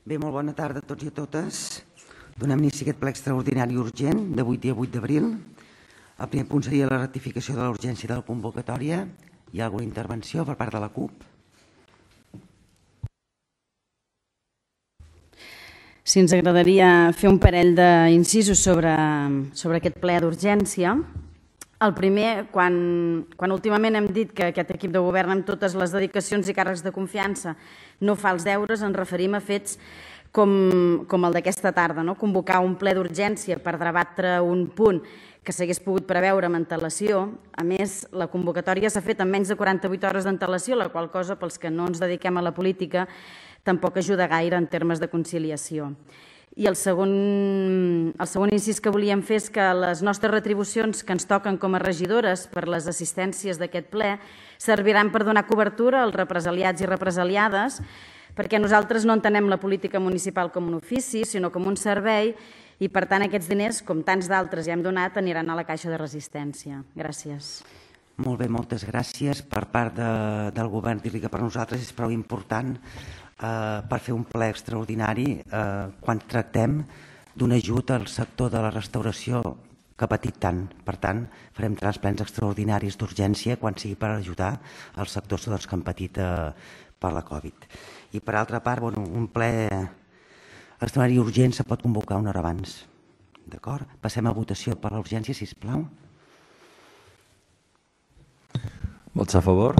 Bé, molt bona tarda a tots i a totes. Donem inici a aquest ple extraordinari urgent d'avui, dia 8 d'abril. El primer punt seria la ratificació de la urgència de la convocatòria. Hi ha alguna intervenció per part de la CUP? Sí, ens agradaria fer un parell d'incisos sobre aquest ple d'urgència. El primer, quan últimament hem dit que aquest equip de govern amb totes les dedicacions i càrrecs de confiança no fa els deures, ens referim a fets com el d'aquesta tarda, convocar un ple d'urgència per debatre un punt que s'hagués pogut preveure amb antelació. A més, la convocatòria s'ha fet amb menys de 48 hores d'antelació, la qual cosa, pels que no ens dediquem a la política, tampoc ajuda gaire en termes de conciliació. I el segon incís que volíem fer és que les nostres retribucions que ens toquen com a regidores per les assistències d'aquest ple serviran per donar cobertura als represaliats i represaliades, perquè nosaltres no entenem la política municipal com un ofici, sinó com un servei, i per tant aquests diners, com tants d'altres ja hem donat, aniran a la caixa de resistència. Gràcies. Molt bé, moltes gràcies. Per part del govern, dir-li que per nosaltres és prou important per fer un ple extraordinari quan tractem d'un ajut al sector de la restauració que ha patit tant. Per tant, farem 3 plens extraordinaris d'urgència quan sigui per ajudar els sectors que han patit per la Covid. I per altra part, un ple extraordinari urgent se pot convocar una hora abans. D'acord? Passem a votació per l'urgència, sisplau. Vots a favor?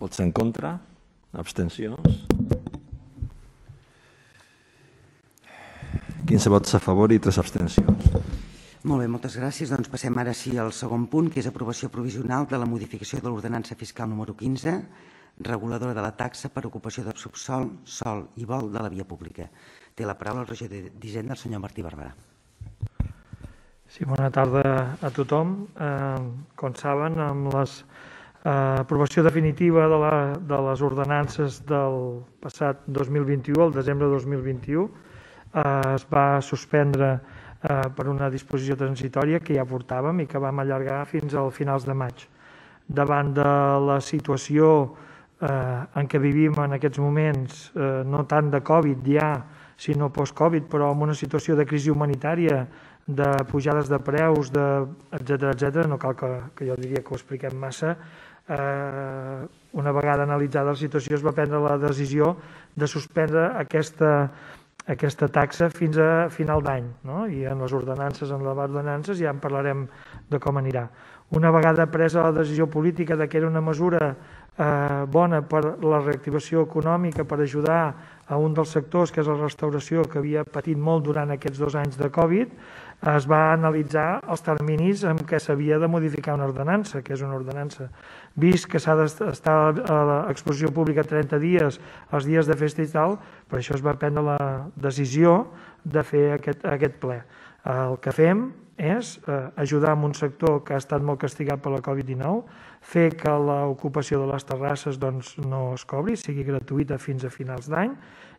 Vots en contra? Abstencions? 15 vots a favor i 3 abstencions. Molt bé, moltes gràcies. Doncs passem ara sí al segon punt, que és aprovació provisional de la modificació de l'ordenança fiscal número 15, reguladora de la taxa per ocupació de subsòl, sòl i vol de la via pública. Té la paraula el regidor d'Hisenda, el senyor Martí Barberà. Sí, bona tarda a tothom. Com saben, amb l'aprovació definitiva de les ordenances del passat 2021, el desembre de 2021, es va suspendre per una disposició transitòria que ja portàvem i que vam allargar fins al finals de maig. Davant de la situació en què vivim en aquests moments, no tant de Covid ja, sinó post-Covid, però amb una situació de crisi humanitària, de pujades de preus, etcètera, no cal que jo diria que ho expliquem massa. Una vegada analitzada la situació es va prendre la decisió de suspendre aquesta taxa fins a final d'any, i en les ordenances, en les ordenances ja en parlarem de com anirà. Una vegada presa la decisió política que era una mesura bona per la reactivació econòmica, per ajudar a un dels sectors, que és la restauració, que havia patit molt durant aquests 2 anys de Covid, es va analitzar els terminis en què s'havia de modificar una ordenança, que és una ordenança. Vist que s'ha d'estar a l'exposició pública 30 dies, els dies de festa i tal, per això es va prendre la decisió de fer aquest ple. El que fem és ajudar en un sector que ha estat molt castigat per la Covid-19, fer que l'ocupació de les terrasses no es cobri, sigui gratuïta fins a finals d'any,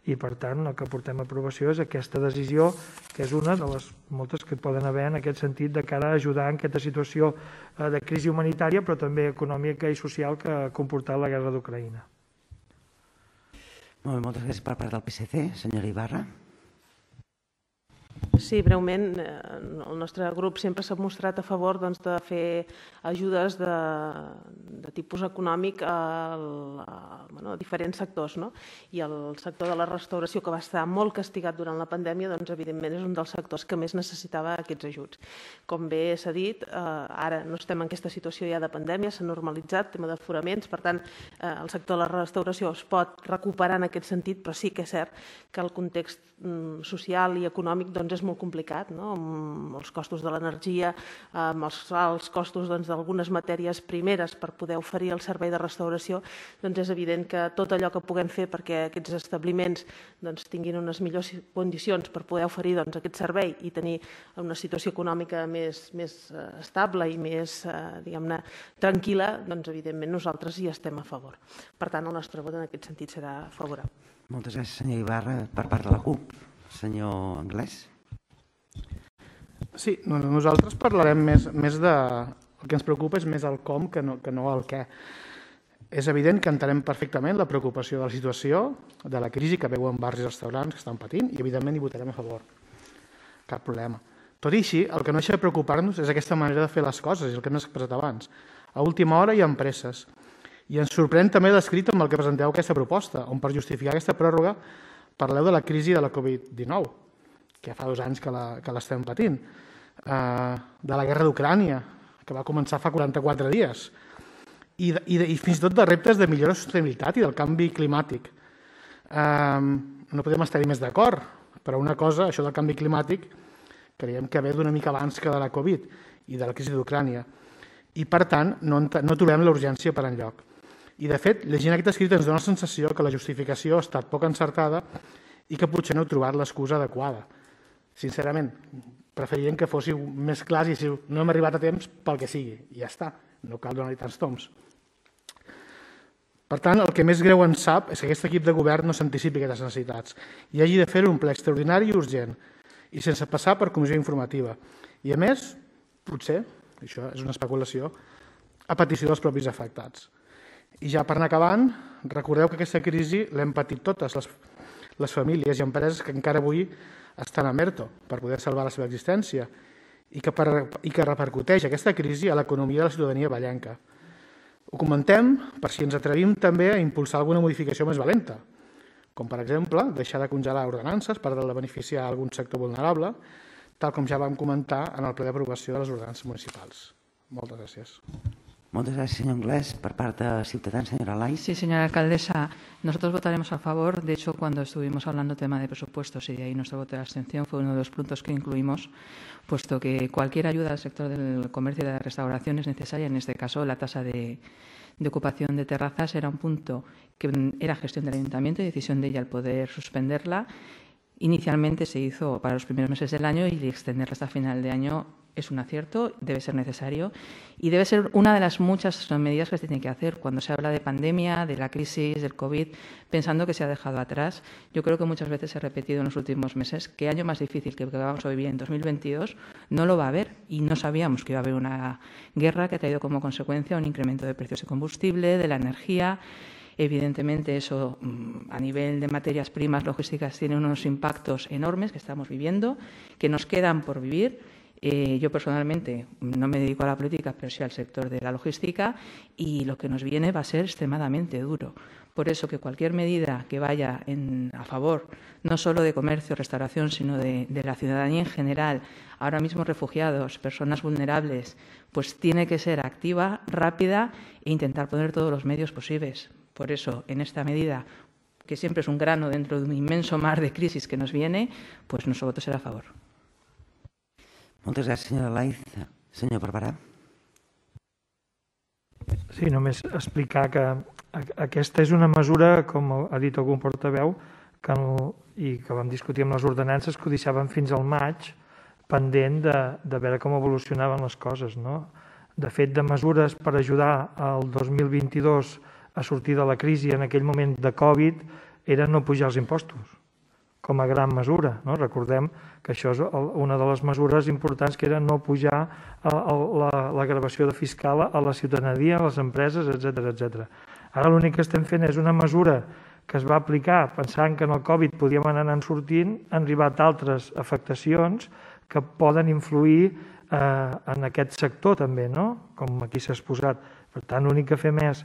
i per tant el que portem a aprovació és aquesta decisió, que és una de les moltes que poden haver en aquest sentit de cara a ajudar en aquesta situació de crisi humanitària, però també econòmica i social que ha comportat la guerra d'Ucraïna. Molt bé, moltes gràcies per part del PSC. Senyora Ibarra. Sí, breument, el nostre grup sempre s'ha mostrat a favor de fer ajudes de tipus econòmic a diferents sectors. I el sector de la restauració, que va estar molt castigat durant la pandèmia, evidentment és un dels sectors que més necessitava aquests ajuts. Com bé s'ha dit, ara no estem en aquesta situació ja de pandèmia, s'ha normalitzat, tema d'aforaments, per tant, el sector de la restauració es pot recuperar en aquest sentit, però sí que és cert que el context social i econòmic és molt complicat, amb els costos de l'energia, amb els alts costos d'algunes matèries primeres per poder oferir el servei de restauració, és evident que tot allò que puguem fer perquè aquests establiments tinguin unes millors condicions per poder oferir aquest servei i tenir una situació econòmica més estable i més, diguem-ne, tranquil·la, evidentment nosaltres hi estem a favor. Per tant, el nostre vot en aquest sentit serà favorable. Moltes gràcies, senyor Ibarra. Per part de la CUP, senyor Anglès. Sí, nosaltres parlarem més de... El que ens preocupa és més el com que no el què. És evident que entenem perfectament la preocupació de la situació, de la crisi que veuen bars i restaurants que estan patint, i evidentment hi votarem a favor. Cap problema. Tot i així, el que no deixa de preocupar-nos és aquesta manera de fer les coses, i el que hem expressat abans. A última hora hi ha presses. I ens sorprèn també l'escrit amb el que presenteu aquesta proposta, on per justificar aquesta pròrroga parleu de la crisi de la Covid-19, que ja fa 2 anys que l'estem patint, de la guerra d'Ucrània, que va començar fa 44 dies, i fins i tot de reptes de millora de sostenibilitat i del canvi climàtic. No podem estar-hi més d'acord, però una cosa, això del canvi climàtic, creiem que ve d'una mica abans que de la Covid i de la crisi d'Ucrània. I, per tant, no trobem la urgència per enlloc. I, de fet, llegint aquest escrit ens dona la sensació que la justificació ha estat poc encertada i que potser no heu trobat l'excusa adequada. Sincerament, preferiríem que fóssiu més clars i si no hem arribat a temps pel que sigui. I ja està, no cal donar-hi tants toms. Per tant, el que més greu ens sap és que aquest equip de govern no s'anticipi aquestes necessitats i hagi de fer un ple extraordinari i urgent i sense passar per comissió informativa. I a més, potser, això és una especulació, a petició dels propis afectats. I ja per anar acabant, recordeu que aquesta crisi l'hem patit totes les famílies i empreses que encara avui estan a ERTO per poder salvar la seva existència i que repercuteix aquesta crisi a l'economia de la ciutadania vallenca. Ho comentem per si ens atrevim també a impulsar alguna modificació més valenta, com per exemple deixar de congelar ordenances per tal de beneficiar algun sector vulnerable, tal com ja vam comentar en el ple d'aprovació de les ordenances municipals. Moltes gràcies. Muchas gracias, señor Inglés. Por parte de Ciudadanos, señora Lai. Sí, señora alcaldesa, nosotros votaremos a favor. De hecho, cuando estuvimos hablando tema de presupuestos y de ahí nuestro voto de abstención fue uno de los puntos que incluimos, puesto que cualquier ayuda al sector del comercio y de la restauración es necesaria. En este caso, la tasa de ocupación de terrazas era un punto que era gestión del ayuntamiento y decisión de ella al poder suspenderla. Inicialmente se hizo para los primeros meses del año y extenderla hasta final de año es un acierto, debe ser necesario y debe ser una de las muchas medidas que se tienen que hacer cuando se habla de pandemia, de la crisis, del COVID, pensando que se ha dejado atrás. Yo creo que muchas veces se ha repetido en los últimos meses que año más difícil que el que vamos a vivir en 2022 no lo va a haber y no sabíamos que iba a haber una guerra que ha traído como consecuencia un incremento de precios de combustible, de la energía. Evidentemente, eso a nivel de materias primas logísticas tiene unos impactos enormes que estamos viviendo, que nos quedan por vivir. Yo personalmente no me dedico a la política, pero sí al sector de la logística y lo que nos viene va a ser extremadamente duro. Por eso que cualquier medida que vaya a favor no solo de comercio, restauración, sino de la ciudadanía en general, ahora mismo refugiados, personas vulnerables, pues tiene que ser activa, rápida e intentar poner todos los medios posibles. Por eso, en esta medida, que siempre es un grano dentro de un inmenso mar de crisis que nos viene, pues nuestro voto será a favor. Moltes gràcies, senyora Laiz. Senyor Barberà. Sí, només explicar que aquesta és una mesura, com ha dit algun portaveu, i que vam discutir amb les ordenances, que ho deixaven fins al maig, pendent de veure com evolucionaven les coses. De fet, de mesures per ajudar el 2022 a sortir de la crisi en aquell moment de Covid era no pujar els impostos, com a gran mesura. Recordem que això és una de les mesures importants, que era no pujar la gravació fiscal a la ciutadania, a les empreses, etc. Ara l'únic que estem fent és una mesura que es va aplicar pensant que en el Covid podíem anar sortint, han arribat altres afectacions que poden influir en aquest sector també, com aquí s'ha exposat. Per tant, l'únic que fem és,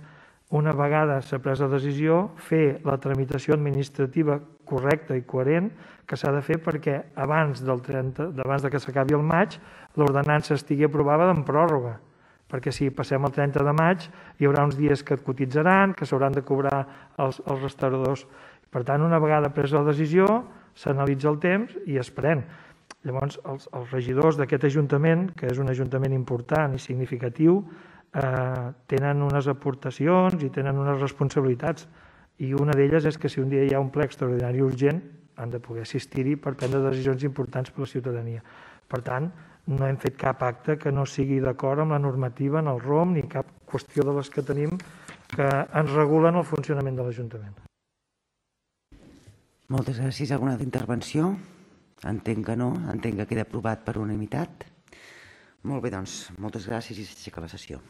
una vegada s'ha pres la decisió, fer la tramitació administrativa correcta i coherent que s'ha de fer perquè abans de que s'acabi el maig l'ordenança estigui aprovada en pròrroga, perquè si passem el 30 de maig hi haurà uns dies que et cotitzaran, que s'hauran de cobrar els restauradors. Per tant, una vegada presa la decisió, s'analitza el temps i es pren. Llavors, els regidors d'aquest ajuntament, que és un ajuntament important i significatiu, tenen unes aportacions i tenen unes responsabilitats, i una d'elles és que si un dia hi ha un ple extraordinari urgent han de poder assistir-hi per prendre decisions importants per a la ciutadania. Per tant, no hem fet cap acte que no sigui d'acord amb la normativa en el ROM ni cap qüestió de les que tenim que ens regulen el funcionament de l'Ajuntament. Moltes gràcies. Alguna altra intervenció? Entenc que no, entenc que queda aprovat per unanimitat. Molt bé, doncs, moltes gràcies i s'aixeca la sessió.